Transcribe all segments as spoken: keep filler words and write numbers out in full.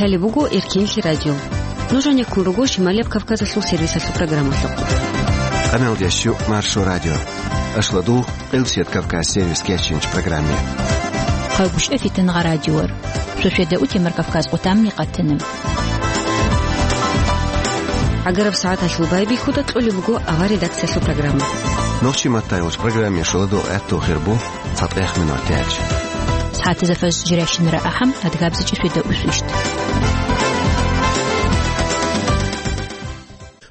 Лъалеб буго Эркенлъи радио. Нуж гьанеккун руго Шималияб Кавказалъул сервисалъул программалъухъ. Къамелдящу Маршо радио. Ашладул Къилсият Кавказ сервис кечинч программе. Хъалгушев Фитнагъа радиор. Шошеда утемар Кавказ къутамни къатана. ГӀагараб сагӀаталъул байбихьуда кьолеб буго авар редакциялъул программа. Нохчи маттайулч программе шуладул гӀатту хирбу. ЦатӀех минут тяч. СагӀатазда фажр жиращинара ахӀам, адгабзичӀи шуйда усвищт.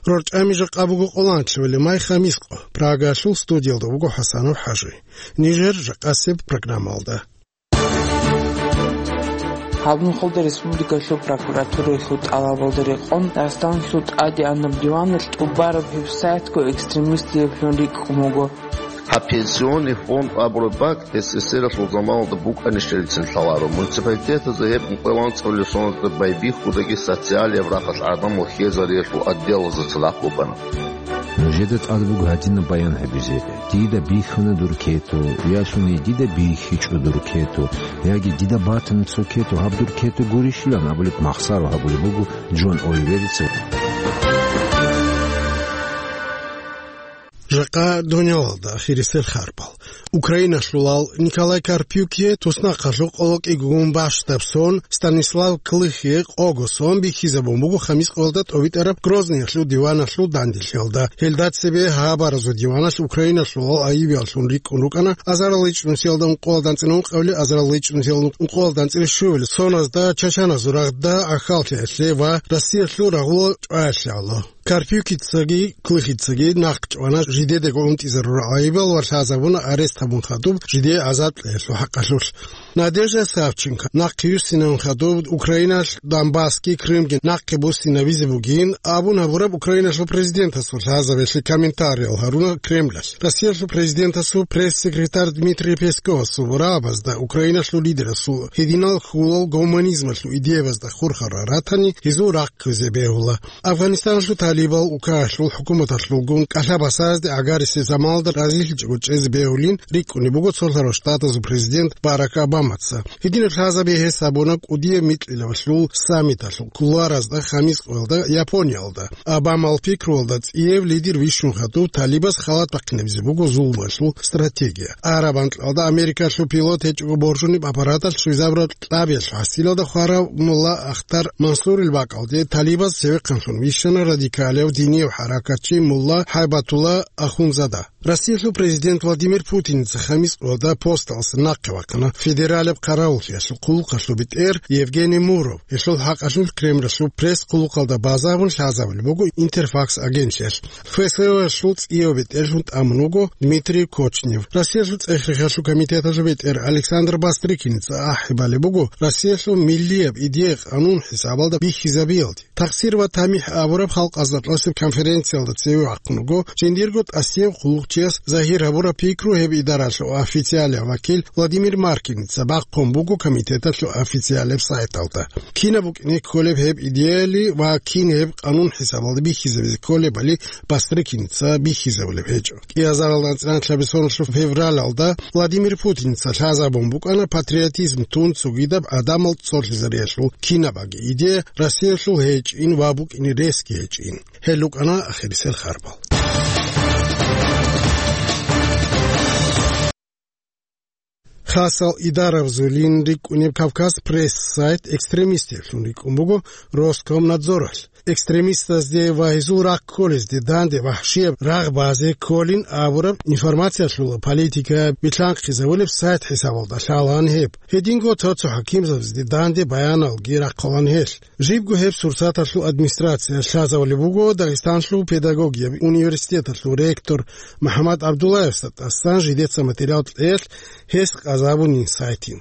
РорчӀами жакъа буго къоланлъивали май хамискъо. Прагалъул студиялда вуго ХӀасанов ХӀажи. Нижер жакъасеб программалда. Гьаб нухалда республикалъул прокуратураялъул тӀалабалда рекъон Дагъистаналъул тӀадегӀанаб диваналъ тӀубараб гьеб сайтго экстремистиеблъун рикӀкӀун буго. Гьаб пенсионный фонд абураб бакӀ СССР-алъул заманалда букӀанищалицин лъаларо. Муниципалитетазда гьеб ункъоялда анцӀабилеб соналда байбихьудаги социалияб рахъалъ гӀадамал хьезариялъул отделазда цадахъ букӀана. Нужеда тӀад буго гьадинаб баян гьабизе: дида бихьана дур кету, ясуни дида бихьичӀо дур кету, яги дида батана цо кету, гьаб дур кету гурищилан абулеб махсаро гьабулеб буго Джон Оливерица. Жакъа дунялалда ахирисел харпал. Украиналъулал Николай Карпюкие туснахъалъув къоло кӀигун бащдаб сон, Станислав Клыхие къого сон бихьизабун буго хамис къоялда тӀовитӀараб Грозныялъул диваналъул данделъиялда. Гьелда цебе гьабаразул диваналъ Украиналъулал айибияллъун рикӀкӀун рукӀана азарал ичӀнусиялда ункъоялда анцӀила ункъабилеб, азарал ичӀнусиялда ункъоялда анцӀила щуабилеб соназда, чачаназул рагъда гӀахьаллъиялъе ва Россиялъул рагъула чӀваялъе гӀоло. Карпюкицаги Клыхицаги нахъ чӀвана жидедаго унтӀизарурал гӀайибал ва лъазабуна арест гьабун хадуб жидее гӀазаб кьеялъул хӀакъалъулъ. Надежда Савченко нахъ юссинавун хадуб Украиналъ Донбассги Крымги нахъе буссинавизе бугин абун гьабураб Украиналъул президентасул лъазабиялъе комментариял гьаруна Кремлалъ. Россиялъул президентасул пресс-секретарь Дмитрий Песковасул рагӀабазда Украиналъул лидерасул гьединал хьулал гуманизмалъул идеябазда хурхарал ратани гьезул рахъ кквезе бегьула. Афганистаналъул талибал укагьалъул хӀукуматалъулгун кӀалъа-басазде гӀагарисеб заманалда разилъичӀого чӀезе бегьулин рикӀкӀунеб буго цолъарал штатазул президент Барак Обамаца. Гьединаб лъазаби гьес гьабуна кӀудияб микьилавлъул саммиталъул кулуаразда хамис къоялда Япониялда. Обамал пикруялда цӀияб лидер вищун хадуб талибаз халат бахъинабизе буго зулмалъул стратегия. Араб анкьалда Америкалъул пилот гьечӀого боржуниб аппараталъ щвезабураб кьабиялъул хӀасилалда хварав мулла Ахтар Мансурил бакӀалде талибаз цевехъанлъун вищана радикалияв динияв хӀаракатчи мулла ХӀайбатулла Ахунзада. Россиялъул президент Владимир Путиница хамис къоялда посталъ нахъе вахъана федералияб хъаравуллъиялъул хъулухъалъул бетӀер Евгений Муров. Гьелъул хӀакъалъулъ Кремлалъул пресс-хъулухъалда базарун лъазабулеб буго Интерфакс агентлъиялъ. ФСО-ялъул цӀияб бетӀерлъун тӀамун вуго Дмитрий Кочнев. Россиялъул цӀех-рехиялъул комитеталъул бетӀер Александр Бастрыкиница ахӀи балеб буго Россиялъул миллияб идея къанун хӀисабалда бихьизабиялде. Тахсир ва тамихӀ абураб халкъазда кьасеб конференциялда цеве вахъун вуго жиндирго тӀасияб хъулухъчияс загьир гьабураб пикру гьеб идаралъул официалияб вакил Владимир Маркиница бахъун буго комитеталъул официалияб сайталда. Кинаб букӀине кколеб гьеб идеяли ва кин гьеб къанун хӀисабалда бихьизабизе кколебали Бастрыкиница бихьизабулеб гьечӀо. КӀиазарал анцӀила нилъеда соналъул февралалда Владимир Путиница лъазабун букӀана патриотизм тун цогидаб гӀадамал цолъизариялъул кинабаги идея Россиялъул гьечӀин ва букӀине ресги гьечӀин. Гьел рукӀана ахирисел харпал. Хасал идарабазулин рикӀкӀунеб Кавказ Пресс сайт экстремистеблъун рикӀкӀун буго Роскомнадзоралъ. Экстремистазде ва гьезул рахъ кколезде данде вахӀшияб рагъ базе кколин абураб информациялъула политика билълъанхъизабулеб сайт хӀисабалда лъалаан гьеб. Гьединго цо-цо хӀакимзабазде данде баяналги рахъалаан гьелъ. Жибго гьеб сурсаталъул администрация лъазабулеб буго Дагъистанлъул педагогияб университеталъул ректор МухӀаммад ГӀабдуллаевасда тӀасан жидеца материал кьеялъ гьес къазабунин сайтин.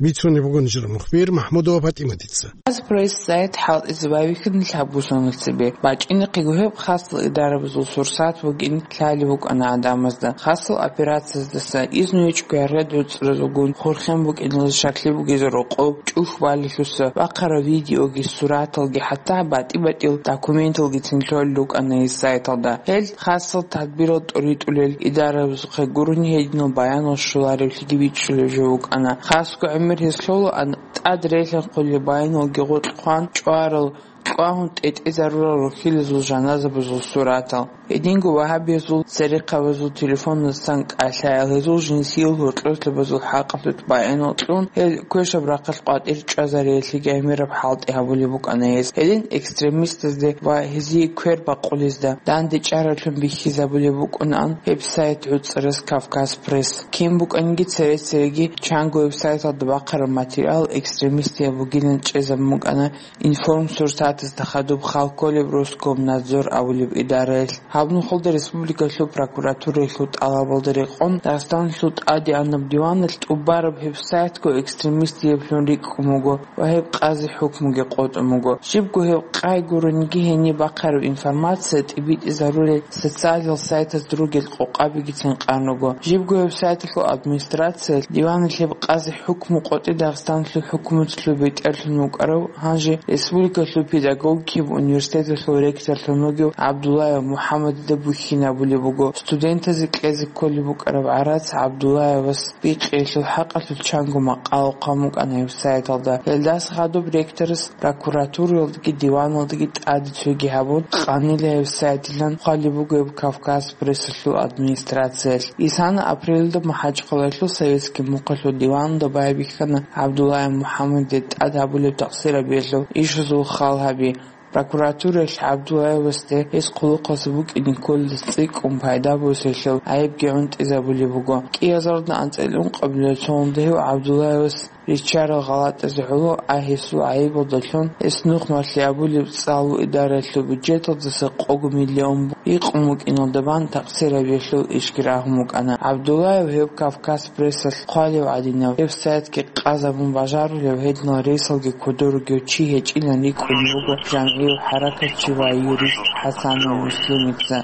Бицунеб буго нижер мухбир МахӀмудова ПатӀиматица. Хасал пресс-сайт хӀалтӀизе байбихьана лъабго соналъ цебе. БачӀинахъего гьеб хасал идарабазул сурсат бугин лъалеб букӀана гӀадамазда. Хасал операцияздаса изну гьечӀого гӀергъи доцӀразулгун хурхен букӀиналда щаклъи бугезул рокъоб чӀухӀ балелъуса бахъарал видеоги, сураталги, хӀатта батӀи-батӀил документалгицин лъолел рукӀана гьес сайталда. Гьел хасал тадбирал тӀуритӀулел идарабазухъе гурони гьединал баянал щоларевлъиги бичӀчӀулеб жо букӀана. Хасго гӀемер гьес лъолаан ТӀад релъанхъулел баяналги гъоркь хъван чӀварал, кьвагьун тӀетӀезарурал рухьилазул жаназабазул суратал. Гьединго вагьабиязул церехъабазул телефоназсан кӀалъаял, гьезул жинсиял гьоркьослъабазул хӀакъалъулъ баянал кьун, гьел квешаб рахъалъ къватӀир чӀвазариялъеги гӀемераб хӀалтӀи гьабулеб букӀана гьез. Гьедин экстремистазде ва гьезие квер бакъулезда дандечӀараблъун бихьизабулеб букӀунаан гьеб сайт гӀуцӀарас Кавказ Пресс. Кин букӀаниги цере-цереги чанго гьеб сайталда бахъараб материал экстремистияб бугилан чӀезабун букӀана Информсурсатазда хадуб хал кколеб Роскомнадзор абулеб идараялъ. Гьаб нухалда республикалъул прокуратураялъул тӀалабалда рекъон Дагъистаналъул тӀадегӀанаб диваналъ тӀубараб гьеб сайтго экстремистиеблъун рикӀкӀун буго ва гьеб къази хӀукмуги къотӀун буго. Щибго гьеб къай гурониги, гьениб бахъараб информация тӀибитӀизарулел социалил сайтазда ругел къокъабигицин къан руго. Жибго гьеб сайталъул администрациялъ диваналъ гьеб къази хӀукму къотӀи Дагъистаналъул хӀукуматалъул бетӀерлъун вукӀарав, гьанже республикалъул педагогикияб университеталъул ректорлъун вугев ГӀабдуллаев МухӀаммадида бухьин абулеб буго, студентазе кьезе кколеб букӀараб гӀарац ГӀабдуллаевас бикъиялъул хӀакъалъулъ чанго макъала хъван букӀана гьеб сайталда. Гьелдаса хадуб ректорас прокуратураялдаги диваналдаги тӀаде цоги гьабун, къанила гьеб сайтилан хъвалеб буго гьеб Кавказ Прессалъул администрациялъ. Исана апрелалда МахӀачхъалаялъул Советский мухъалъул диваналда байбихьана ГӀабдуллаев МухӀаммадида тӀад гьабулеб такъсирабиялъул ишазул хал гьаби. Прокуратураялъ ГӀабдуллаевасде гьес хъулухъалъ букӀине кколелъ цӀикӀкӀун пайда босиялъул гӀайибги гӀунтӀизабулеб буго. КӀиазарда анцӀила ункъабилеб цоялда гьев ГӀабдуллаевас риччарал гъалатӀазе гӀоло, а гьесул гӀайибалдалъун гьес нухмалъи абулеб цӀалу идараялъул бюджеталдаса къого миллион бу-, икъун букӀиналда бан такъсирабиялъул ишги рагьун букӀана. ГӀабдуллаев гьев Кавказ Прессалъ хъвалев гӀадинав гьеб сайтги къазабун бажарулев гьединал рейсалги кодор ругев чи гьечӀилан рикӀкӀун буго жамгӀияв хӀаракатчи ва юрист ХӀасанов Муслимица.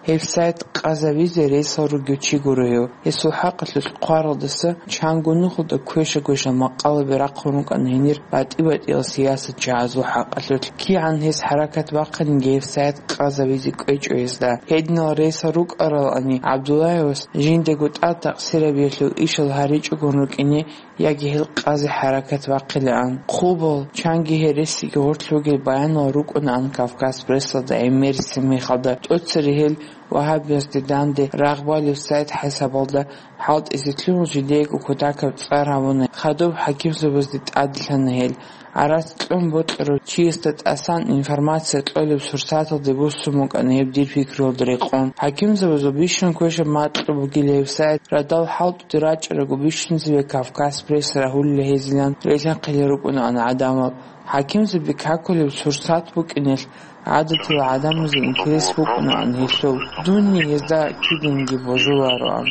Гьеб сайт къазавизе рейсал ругев чи гуро гьев. Гьесул хӀакъалъулъ хъваралдаса чанго нухалда квеша-квешал макъалаби рахъун рукӀана гьенир батӀи-батӀиял сиясатчагӀазул хӀакъалъулъ. КигӀан гьес хӀаракат бахъаниги гьеб сайт къазавизе кӀвечӀо гьесда. Гьединал рейсал рукӀаралани, ГӀабдуллаевас жиндаго тӀад такъсирабиялъул ишал гьаричӀогун рукӀине, яги гьел къази хӀаракат бахъилаан. Хъубал, чанги гьересиги гъорлъ ругел баянал рукӀунаан Кавказ Прессалда гӀемерисеб мехалда. ТӀоцере гьел вагьабиязде данде рагъ балев сайт хӀисабалда хӀалтӀизе лъугьун жидеего кутакаб цӀар гьабуна, хадуб хӀакимзабазде тӀаделъана гьел. ГӀарац кьун бокьарав чиясда тӀасан информация кьолеб сурсаталде буссун букӀана гьеб дир пикруялда рекъон. ХӀакимзабазул бищун квешаб макьу бугила гьеб сайт, радал хӀалтӀуде рачӀараго бищунзабе Кавказ Пресс рагьулила гьезилан релъанхъилел рукӀунаан гӀадамал. ХӀакимзаби какулеб сурсат букӀиналъ, гӀадатила гӀадамазе интерес букӀунаан гьелъул, дунни гьезда киданги божулароан.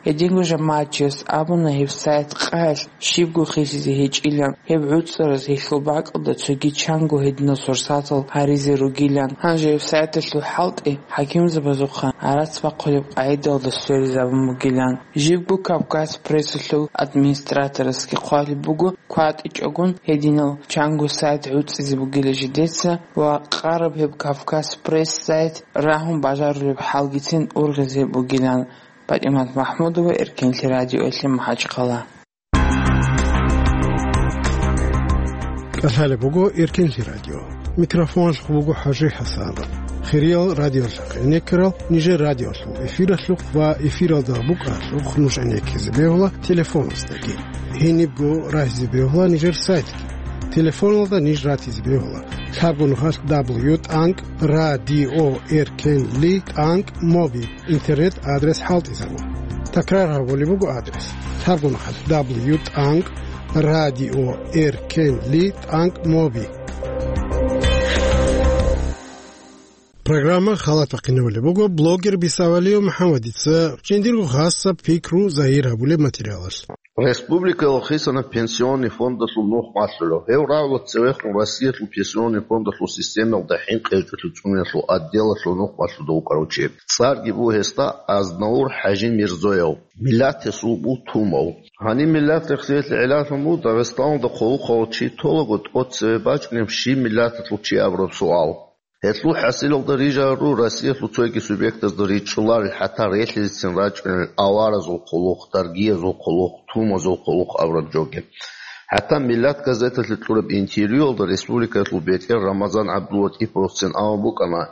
Гьединго жамагӀатчияс абуна гьеб сайт къаялъ щибго хисизе гьечӀилан, гьеб гӀуцӀараз гьелъул бакӀалда цоги чанго гьединал сурсатал гьаризе ругилан. Гьанже гьеб сайталъул хӀалтӀи хӀакимзабазухъа гӀарац бахъулеб къагӀидалда сверизабун бугилан. Жибго Кавказ Прессалъул администраторасги хъвалеб буго, кватӀичӀогун гьединал чанго сайт гӀуцӀизе бугила жидеца ва къараб гьеб Кавказ Пресс сайт рагьун бажарулеб хӀалгицин ургъизе бугилан. ПатӀимат МахӀмудова, Эркенлъи радиоялъе, МахӀачхъала. КӀалъалеб буго Эркенлъи радио. Микрофоналъухъ буго ХӀажи ХӀасанов. Хириял радиолъахъ гӀенеккарал нижер радиолъул эфиралъухъ ва эфиралда букӀаралъухъ нуж гӀенеккизе бегьула телефоназдаги. Гьенибго рагьизе бегьула нижер сайтги. Телефоналда ниж ратизе бегьула: лъабго нухалъ дабл ю тӀанкӀ радио эркенли тӀанкӀ моби. Интернет-адрес хӀалтӀизабун. Такрар гьабулеб буго адрес: лъабго нухалъ дабл ю тӀанкӀ радио эркенли тӀанкӀ моби. Программа халатахъинабулеб буго блогер Бисавалиев МухӀаммадица жиндирго хасаб пикру загьир гьабулеб материалалъ. Республикаялда хисана пенсионный фондалъул нух малъулев. Гьев рагӀула цевехун Россиялъул пенсионный фондалъул системалда хӀинкъи гьечӀолъи цӀуниялъул отделалъул нух малъуда вукӀарав чи. ЦӀарги буго гьесда Азнавур ХӀажимирзоев. Миллат гьесул буго Тумов. Гьаниб миллат рехсиялъе гӀелалъун буго Дагъистаналда хъулухъалъул чи толаго тӀоцеве бачӀунеб щиб миллаталъул чи абураб суал. Гьелъул хӀасилалда рижару Россиялъул цоги субъектазда ричӀчӀуларел, хӀатта релълъизецин рачӀунел аваразул хъулухъ, даргиязул хъулухъ, тумазул хъулухъ абураб жоги. ХӀатта «Миллат» газеталъе кьураб интервьюялда республикаялъул бетӀер Рамазан ГӀабдуллатӀиповцин абун букӀана,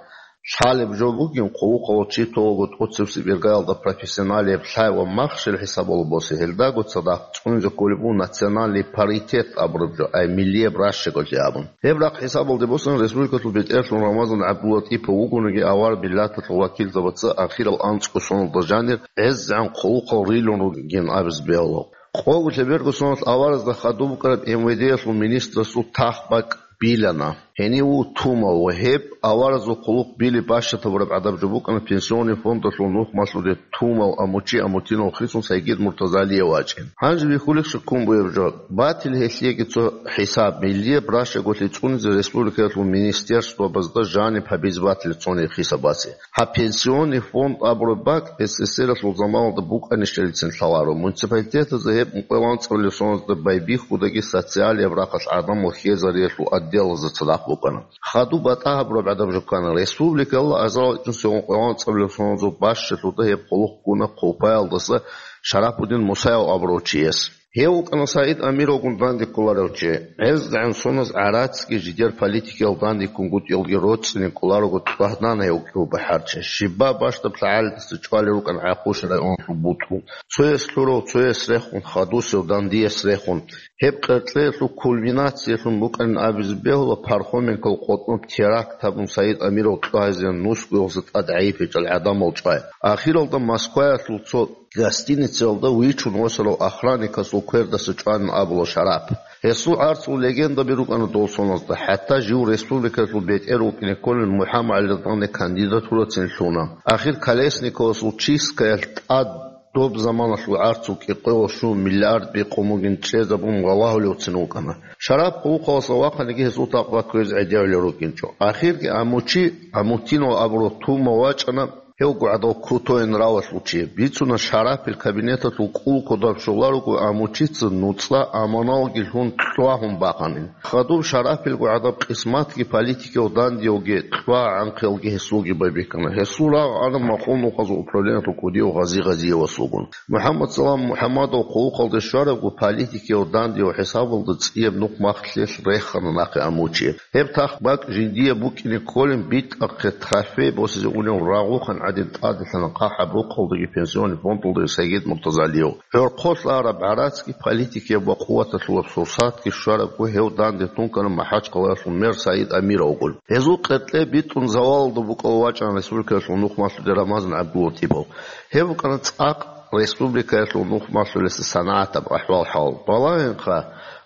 лъалеб жо бугин, хъулухъав чи толаго тӀоцебсеб иргаялда профессионалияб лъай ва махщел хӀисабалъ босе, гьелдаго цадахъ цӀунзе кколеб буго национальный паритет абураб жо, ай миллияб ращаголъи абун. Гьеб рахъ хӀисабалде босун, республикалъул бетӀерлъун Рамазан ГӀабдуллатӀипов вугониги, авар миллаталъул вакилзабаца ахирал анцӀго соналда жанир гӀезегӀан хъулухъал рилун ругин абиз бегьула. Къого лъеберго соналъ аваразда хадуб букӀараб МВД-ялъул министрасул тах-бакӀ билана. Гьенив вуго тумав ва гьеб аваразул хъулухъ били бащатабураб гӀадаб жо букӀана Пенсионный фондалъул нухмалъуде тумав Амучи Амутинов хисун Сайгид Муртазалиев вачӀин. Гьанже вихьулищ ккун бугеб жо? Батил гьелъеги цо хӀисаб, миллияб ращаголъи цӀунизе республикаялъул министерствабазда жаниб гьабизе батил цони хисабасе. Гьаб Пенсионный фонд абураб бакӀ СССР-алъул заманалда букӀанищалицин лъаларо, муниципалитетазда гьеб ункъоялда анцӀабилеб соналда байбихьудаги социалияб рахъалъ гӀадамал хьезариялъул отделазда цадахъ букӀана. Хадуб батӀа гьабураб гӀадаб жо ккана, республикалда азарал ичӀнусиялда ункъоялда анцӀабилеб соналда бащалъуда гьеб хъулухъ ккуна Хъулпаялдаса Шарапудин Мусаев абурав чияс. Гьев вукӀана Саид Амировгун данде кколарев чи. ГӀезегӀан соназ гӀарацги жидер политикиял дандеккунгутӀиялги роцӀцӀине кколарого тӀвагьдана гьев кӀиго бахӀарчи. Щибаб бащдаб лъагӀалидаса чӀвалел рукӀана ГӀахъуш районалъул бутӀрул. Цояс лъурав, цояс рехун, хадусев, дандияс рехун. Гьеб къеркьеялъул кульминациялъун букӀанин абизе бегьула Пархоменкол къотӀноб теракт гьабун Саид Амиров кьвагьизеян нусгоялдаса тӀад гӀайиб гьечӀел гӀадамал чӀвай. Ахиралда Москваялъул цо гостиницаялда вичун восарав охранникасул квердаса чӀванин абула Шарап. Гьесул гӀарцул легендаби рукӀана дол соназда, хӀатта жив республикаялъул бетӀер вукӀине кколел МухӀаммад ГӀалидалъе кандидатурацин лъуна. Ахир Колесниковасул чисткаялъ тӀад доб заманалъул гӀарцул кӀикъоялда щун миллиард бикъун бугин чӀезабун валагьулевцин вукӀана. Шарап хъулухъалдаса вахъаниги гьесул такъва кквезе гӀедегӀулел рукӀинчӀо. Ахирги Амучи Амутинов абурав тумав вачӀана. Гьев гугӀадав крутой нравалъул чи. Бицуна, Шарапил кабинеталъул кӀул кодоб щоларуго Амучица нуцӀа аманалги лъун кьвагьун бахъанин. Хадуб Шарапил гугӀадаб къисматги политикияв дандиявги кьвагӀанхъиялги гьесулги байбихьана. Гьесул рагъ ана Махъул нухазул управлениялъул кӀудияв Гъази Гъазиевасулгун. МухӀаммад Салам МухӀаммадов хъулухъалде щварабго политикияв дандияв хӀисабалда цӀияб нухмахлъиялъ рехана нахъе Амучи. Гьеб тах-бакӀ жиндие букӀине кколин битӀахъе трофей босизе унев рагъухан гӀадин тӀаделъана хъахӀаб рохъалдаги Пенсионный фондалдаги Сайгид Муртазалиев. ГӀорхъолъ араб гӀарацги политикияб ва къуваталъулаб сурсатги щварабго гьев данде тункана МахӀачхъалаялъул мэр Саид Амировгун. Гьезул къеркье битӀун завалалда букӀав вачӀана республикаялъул нухмалъуде Рамазан ГӀабдуллатӀипов. Гьев вукӀана цӀакъ республикаялъул нухмалъулеса санагӀатаб ахӀвал-хӀал. Балагьинха,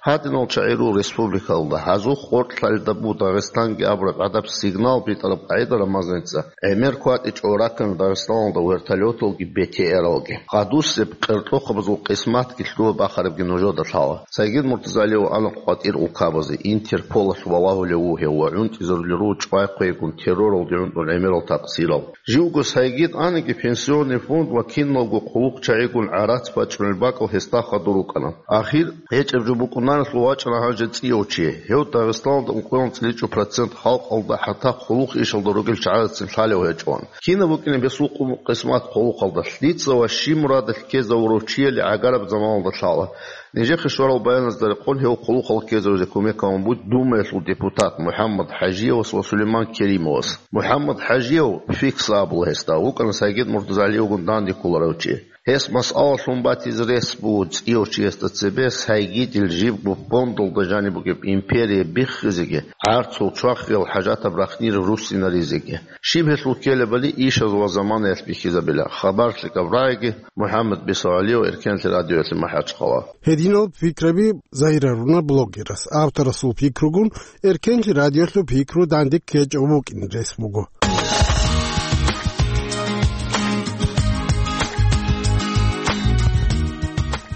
гьадинал чагӀи руго республикалда, гьазухъ гъоркьлъалда буго Дагъистанги абураб гӀадаб сигнал битӀараб къагӀида Рамазаница, гӀемер кватӀичӀого раккана Дагъистаналда вертолеталги БТРалги. Гъадусеб къеркьохъабазул къисматги лъугьа-бахарабги нужеда лъала. Сайгид Муртазалиев ана къватӀир улкабазе, Интерполалъ валагьулев вуго гьев ва гӀунтӀизарулел руго чӀвай-хъвейгун терроралде гӀунтӀун гӀемерал такъсирал. Живго Сайгид аниги, Пенсионный фонд ва киналго хъулухъчагӀигун гӀарац бачӀунел бакӀал гьесда хадур рукӀана. Ахир гьечӀеб жо букӀунаналъул вачӀана гьанже цӀияв чи. Гьев Дагъистаналда ункъоялда цӀиличӀо процент халкъалда, хӀатта хъулухъ ишалда ругел чагӀазецин лъалев гьечӀоан. Кинаб букӀинеб гьесул къу-, къисмат хъулухъалда? Лъица ва щиб мурадалъ ккезавурав чияли гӀагараб заманалда лъала. Нижехъе щварал баяназда рекъон гьев хъулухъалъ ккезавизе кумек гьабун буго Думаялъул депутат МухӀаммад ХӀажиевас ва Сулейман Керимовас. МухӀаммад ХӀажиев, Фикса абула гьесда, вукӀана Сайгид Муртазалиевгун данде кколарев чи. Гьес масъалалъун батизе рес буго цӀияв чиясда цебе Сайгидил жибго фондалда жаниб бугеб империя биххизеги, гӀарцул чвахиял хӀажатаб рахънир руссинаризеги. Щиб гьелъул ккелебали ишазул ва заманаялъ бихьизабила. Хабар лъикӀаб рагӀиги, МухӀаммад Бисавалиев, Эркенлъи радиоялъе МахӀачхъала. Гьединал пикраби загьируна блогерас. Авторасул пикругун Эркенлъи радиоялъул пикру данде ккечӀев вукӀин рес буго.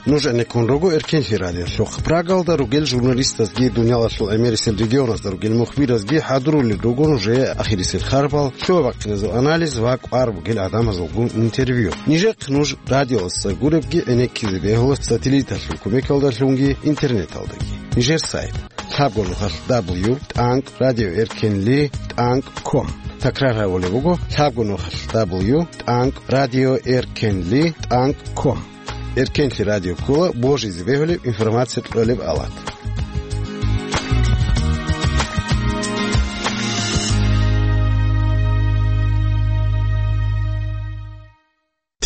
Нуж гӀенеккун руго Эркенлъи радиолъухъ. Прагалда ругел журналистазги, дуниялалъул гӀемерисел регионазда ругел мухбиразги хӀадурулел руго нужее ахирисел харбал, лъугьа-бахъиназул анализ ва кӀвар бугел гӀадамазулгун интервью. Нижехъ нуж радиоялдаса гуребги гӀенеккизе бегьула сателлиталъул кумекалдалъунги интернеталдаги. Нижер сайт. Лъабго нухалъ дабл ю тӀанкӀ радио эркенли тӀанкӀ ком. Такрар гьабулеб буго: лъабго нухалъ дабл ю тӀанкӀ радио эркенли тӀанкӀ ком. Эркенлъи радио ккола божизе бегьулеб информация кьолеб алат.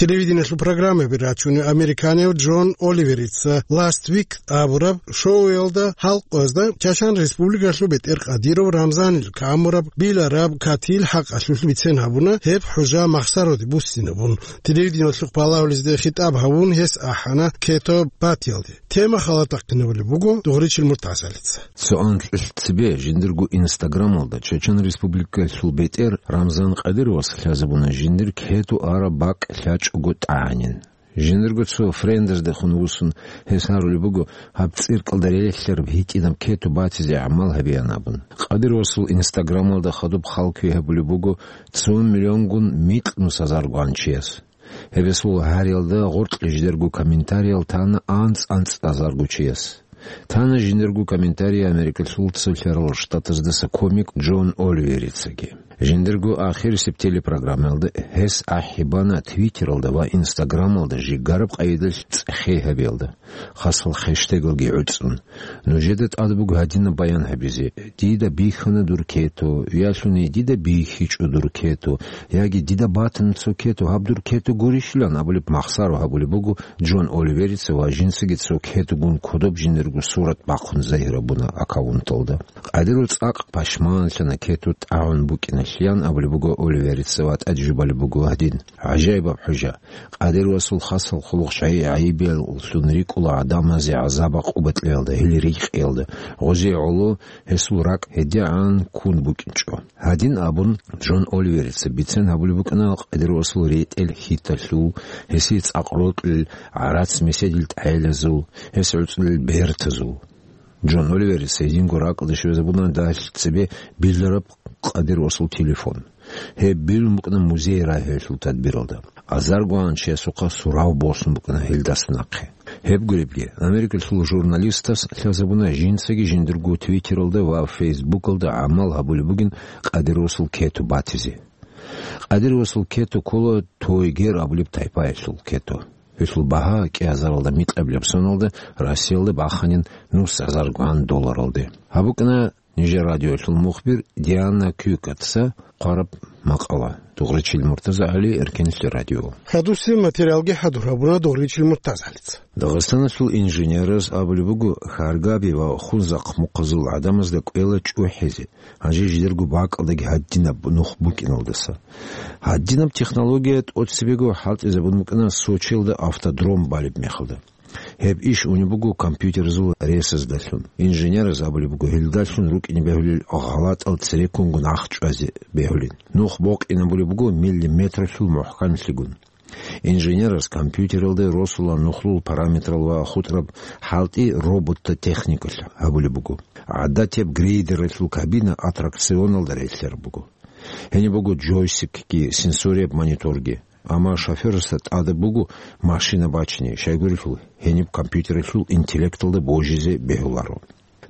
Телевидениялъул программаби рачунев американияв Джон Оливерица Last Week абураб шоуялда халкъазда Чачан Республикалъул бетӀер Кадиров Рамзанил камураб билараб катил хӀакъалъулъ бицен гьабуна, гьеб хӀужа махсароде буссинабун. Телевидениялъухъ балагьулезде хитӀаб гьабун гьес ахӀана Кето батиялде. Тема халатахъинабулеб буго Дугъричил Муртазалица. Цо анкьилъ цебе жиндирго Инстаграмалда Чечен Республикалъул бетӀер Рамзан Къадировас лъазабуна жиндир кету араб бакӀ лъачӀого тӀагӀанин. Жиндирго цо френдездехун вуссун гьес гьарулеб буго, гьаб цӀиркӀалда релълъараб гьитӀинаб кету батизе гӀамал гьабеян абун. Къадировасул Инстаграмалда хадуб халкуе гьабулеб буго цо миллионгун микьнус азарго анчияс. Гьеб гьесул гьариялда гъоркье жидерго комментариял тана анцӀ-анцӀ азарго чияс. Тана жиндирго комментарий Америкалъул Цолъарал Штатаздаса комик Джон Оливерицаги. Жиндирго ахирисеб телепрограммаялда гьес ахӀи бана Твиттералда ва Инстаграмалда жигараб къайдалъ цӀехей гьабиялда, хасал хештегалги гӀуцӀун. Нужеда тӀад буго гьадинаб баян гьабизе: «Дида бихьана дур кету», ялъуни «Дида бихьичӀо дур кету», яги «Дида батана цо кету, гьаб дур кету гурищилан», абулеб махсаро гьабулеб буго Джон Оливерица ва жинцаги цо кетугун кодоб жиндирго сурат бахъун загьирабуна аккаунталда. Къадиров цӀакъ пашманлъана кету тӀагӀун букӀиналъян абулеб буго Оливерица ва тӀаде жубалеб буго гьадин: «ГӀажаибаб хӀужа! Къадировасул хасал хъулухъ щай гӀайибияллъун рикӀкӀула гӀадамазе гӀазаб-гӀакъуба кьеялда, гьел рихкӀиялда, гъозие гӀоло гьесул ракӀ гьедигӀан ккун букӀинчӀо». Гьадин абун, Джон Оливерица бицен гьабулеб букӀана Къадировасул ретӀел хьиталъул, гьесие цӀакъ рокьулел гӀарац-меседил тӀагӀелазул, гьес гӀуцӀулел бертазул. Джон Оливерица гьединго ракӀалде щвезабуна дагьалъ цебе билараб Къадировасул телефон. Гьеб билун букӀана музей рагьиялъул тадбиралда. Азарго анчиясухъа сурав босун букӀана гьелдаса нахъе. Гьеб гуребги, Америкалъул журналистас лъазабуна жинцаги жиндирго Твиттералда ва Фейсбукалда гӀамал гьабулеб бугин Къадировасул кету батизе. Къадировасул кету ккола Тойгер абулеб тайпаялъул кету. Гьелъул багьа кӀиазаралда микьабилеб соналда Россиялда баханин нус азаргун долларалде. Гьаб букӀана нижер радиоялъул мухбир Диана Кюкатса хъвараб макъала. Дугъричил Муртазагьали, Эркенлъи радио. Хадусеб материалги хӀадур гьабуна Дугъричил Муртазагьалица. Дагъистаналъул инженераз абулеб буго, Хьаргаби ва Хунзахъ мухъазул гӀадамазда кӀвела чӀухӀизе, гьанже жидерго бакӀалдаги гьадинаб нух букӀиналдаса. Гьадинаб технология тӀоцебего хӀалтӀизабун букӀана Сочиялда автодром балеб мехалда. Гьеб иш унеб буго компьютерзул ресаздалъун. Инженераз абулеб буго, гьелдалъун рукӀине бегьулел гъалатӀал цереккунгун ахчӀвазе бегьулин. Нух бокъинабулеб буго миллиметралъул мухӀканлъигун. Инженераз компьютералда росула нухлул параметрал ва хутӀраб хӀалтӀи робота техникалъ гьабулеб буго. ГӀадатияб грейдералъул кабина аттракционалда релълъараб буго. Гьениб буго джойстикги, сенсорияб мониторги. Амма шофёрасда тӀадаб буго машина бачине, щайгурелъул гьениб компьютералъул интеллекталда божизе бегьуларо.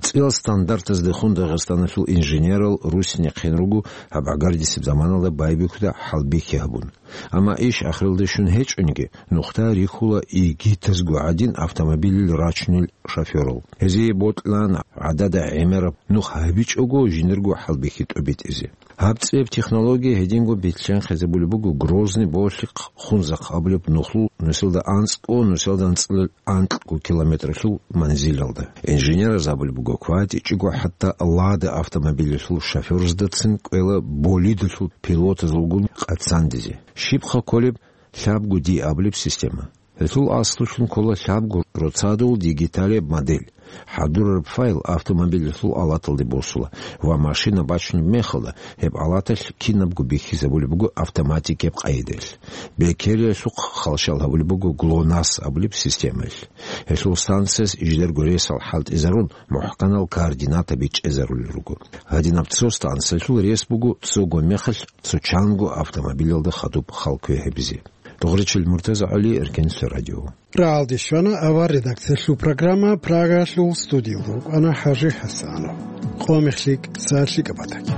ЦӀиял стандартаздехун Дагъистаналъул инженерал русине хъен руго гьаб гӀагардисеб заманалда байбихьуда хӀалбихьи гьабун. Амма иш ахиралде щун гьечӀониги, нухда рихьула игитазго гӀадин автомобилил рачунел шофёрал. Гьезие бокьилаан гӀадада гӀемераб нух гьабичӀого жиндирго хӀалбихьи тӀобитӀизе. Гьаб цӀияб технология гьединго бицен хезабулеб буго Грозный, Болъихъ, Хунзахъ абулеб нухлул нусилда анцӀго, нусилда анцӀила анкьго километралъул манзилалда. Инженераз абулеб буго, кватӀичӀого хӀатта Лада автомобилялъул шофёрыздацин кӀвела болидалъул пилотазулгун къацандизе. Щибха кколеб лъабго Ди абулеб система? Гьелъул аслулъун ккола лъабго роцадул дигиталияб модель. ХӀадурараб файл автомобилялъул алаталде босула ва машина бачунеб мехалда, гьеб алаталъ кинабго бихьизабулеб буго автоматикияб къайдаялъ. Бекериялъухъ халщал гьабулеб буго ГЛОНАСС абулеб системаялъ. Гьелъул станцияс жидерго ресал хӀалтӀизарун, мухӀканал координата бичӀчӀезарулел руго. Гьадинаб цо станциялъул рес буго цого мехалъ цо чанго автомобилялда хадуб халкуе гьабизе. Дугъричил Муртаза ГӀали, Эркенлъа радио. РагӀалде щвана авар редакциялъул программа, Прагаялъул студиялда вукӀана ХӀажи ХӀасанов. Къо мехлъи кӀиса лъикӀаб батаги.